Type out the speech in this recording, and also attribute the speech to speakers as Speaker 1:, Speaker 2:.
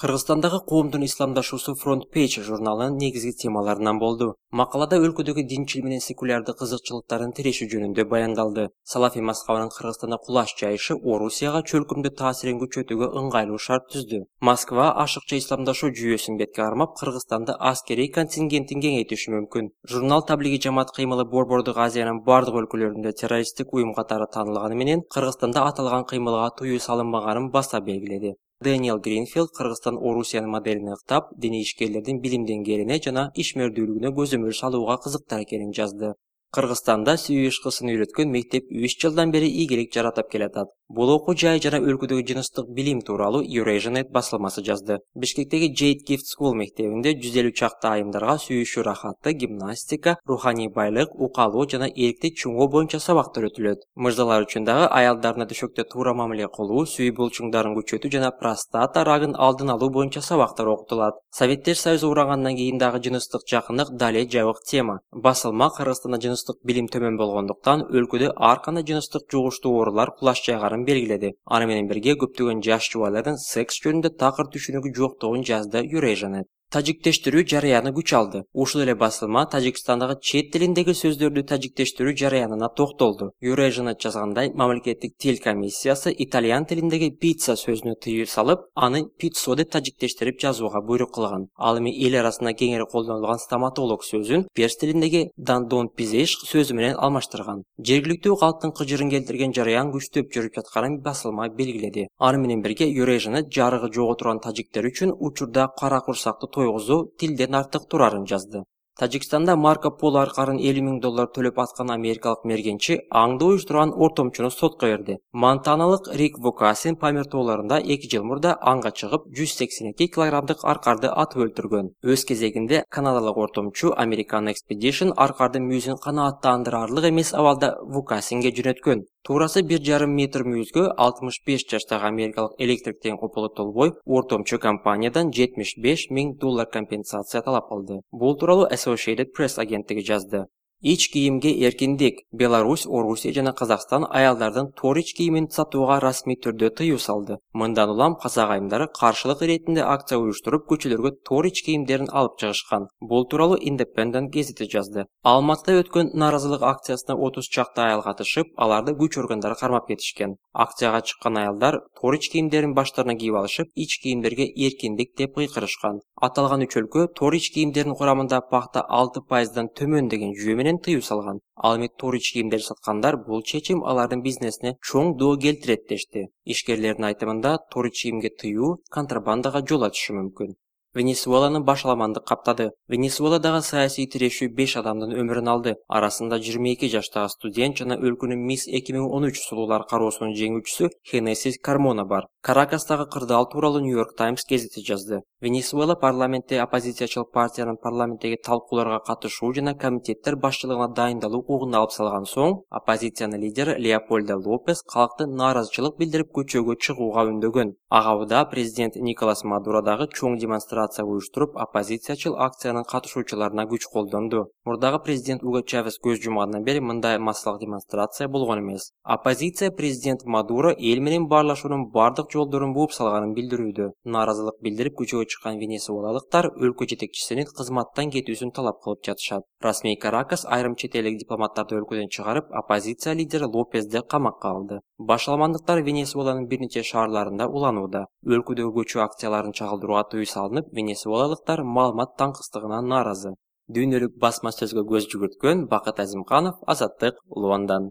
Speaker 1: Кыргызстандагы коомдун исламдашуусу Front Page журналынын негизги темаларынан болду. Макалада өлкөдөгү динчил менен секулярдык кызыкчылыктарын тирешүү жөнүндө баяндалды. Салафи мазхабынын Кыргызстанда кулаш жайышы Орусияга чөлкөмдү таасирин күчөтүүгө ыңгайлуу шарт түздү. Москва ашыкча исламдашуу жүйөсүн бетке кармап, Кыргызстанда аскерий контингентин кеңейтиши мүмкүн. Журнал таблиги жамаат кыймылы Борбордук Азиянын бардык өлкөлөрүндө террористтик уюм катары таанылганы менен, Кыргызстанда аталган кыймылга тыюу салынбаганын баса белгиледи. Дэниел Гринфилд Кыргызстан Орусиянын моделине ыктап, диний ишкерлердин билим деңгээлине жана ишмердүүлүгүнө көзөмөл салууга кызыктар экенин жазды. Кыргызстанда сүйүү ишкысын үйрөткөн мектеп 3 жылдан бери ийгилик жаратып келатат. Бул окуу жай жана өлкөдөгү жыныстык билим тууралуу Eurasianet басылмасы жазды. Бишкектеги Jade Gift School мектебинде 150 чакты айымдарга сүйүшүү рахаты, гимнастика, руханий байлык, укалоо жана эркти чуңоо боюнча сабактар өтүлөт. Мырзалар үчүн дагы аялдарына төшөктө туура мамиле кылуу, сүйүү булчуңдарын күчөтүү жана простата рагын алдын алуу боюнча сабактар окутулат. Советтер Союзу урагандан кийин дагы жыныстык жакындык дале жабык тема. Басылма Кыргызстанда жыныстык билим төмөн болгондуктан өлкөдө ар кандай жыныстык жугуштуу оорулар кулаш жайгарын белгиледи. Аны менен бирге көптөгөн жаш жубайлардын секс жөнүндө такыр түшүнүгү жоктугун жазды Eurasianet. Тажиктештирүү жарыяны күч алды. Ушул эле басылма Тажикстандагы чет тилиндеги сөздөрдү тажиктештирүү жарыянына токтолду. Eurasianet жазгандай, мамлекеттик тил комиссиясы итальян тилиндеги пицца сөзүнө тыюу салып, аны пиццо деп тажиктештирип жазууга буйрук кылган. Ал эми эл арасында кеңири колдонулган стоматолог сөзүн перс тилиндеги дандон пизеш сөзү менен алмаштырган. Жергиликтүү калктын кыжырын келтирген жарыян күчтөп жүрүп жатканын басылма белгиледи. Аны менен бирге Eurasianet жарыгы жого турган тажиктер үчүн учурда кара курсактуу тойгузуу тилден артык турарын жазды. Тажикстанда Марко Поло аркарын $50,000 төлөп аткан америкалык мергенчи аңды уюштурган ортомчуну сотко берди. Монтаналык Рик Вукасин Памир тоолорунда 2 жыл мурда аңга чыгып 182 килограммдык аркарды атып өлтүргөн. Өз кезегинде канадалык ортомчу American Expedition аркардын мүйүзүн канааттандырарлык эмес абалда Вукасинге жөнөткөн. Туурасы 1,5 метр мүйүзгө 65 жаштагы америкалык электриктен кополу Толбой ортомчу компаниядан $75,000 компенсация талап кылды. Бул тууралуу Associated Press агенттиги жазды. Ич кийимге эркиндик. Беларусь, Орусия жана Казакстан аялдардын тор ич кийимин сатууга расмий түрдө тыюу салды. Мындан улам казак айымдары каршылык иретинде акция уюштуруп, көчөлөргө тор ич кийимдерин алып чыгышкан. Бул тууралуу Independent гезити жазды. Алматыда өткөн нааразылык акциясына 30 чакты аял катышып, аларды күч органдары кармап кетишкен. Акцияга чыккан аялдар тор ич кийимдерин баштарына кийип алышып, ич кийимдерге эркиндик деп кыйкырышкан. Аталган үч өлкө тор ич кийимдердин курамында пахта 6%дан төмөн деген жүйө менен тыюу салган. Ал эми тор ич кийимдер саткандар бул чечим алардын бизнесине чоң доо келтирет дешти. Ишкерлердин айтымында тор ич кийимге тыюу контрабандага жол ачышы мүмкүн. Венесуэланы башаламандык каптады. Венесуэладагы саясий тирешүү 5 адамдын өмүрүн алды. Арасында 22 жаштагы студент жана өлкөнүн Мисс 2013 сулуулар кароосунун жеңүүчүсү Хенесис Кармона бар. Каракастагы кырдаал тууралуу New York Times гезити жазды. Венесуэла парламентте оппозициячыл партиянын парламенттеги талкууларга катышуу жана комитеттер башчылыгына дайындалуу укугун алып салган соң, оппозициянын лидери Леопольдо Лопес калкты нааразычылык билдирип көчөгө чыгууга үндөгөн. Ага убада президент Николас Мадуро дагы чоң демонстрация уюштуруп, оппозициячыл акциянын катышуучуларына күч колдонду. Мурдагы президент Уго Чавес көз жумгандан бери мындай массалык демонстрация болгон эмес. Оппозиция президент Мадуро эл менен баарлашуунун бардык жолдорун бууп салганын билдирүүдө. Нааразылык билдирип көчөгө чыккан венесуэлалыктар өлкө жетекчисинин кызматтан кетүүсүн талап кылып жатышат. Расмий Каракас айрым чет элдик дипломаттарды өлкөдөн чыгарып, оппозиция лидери Лопезди камакка алды. Башаламандыктар Венесуэланын бир нече шаарларында уланууда. Өлкөдөгү көчүү акцияларын чагылдырууга тыюу салынып, венесуэлалыктар маалымат таңкыстыгынан нааразы. Дүйнөлүк басма сөзгө көз жүгүрткөн Бакыт Азимканов, Азаттык, Лондон.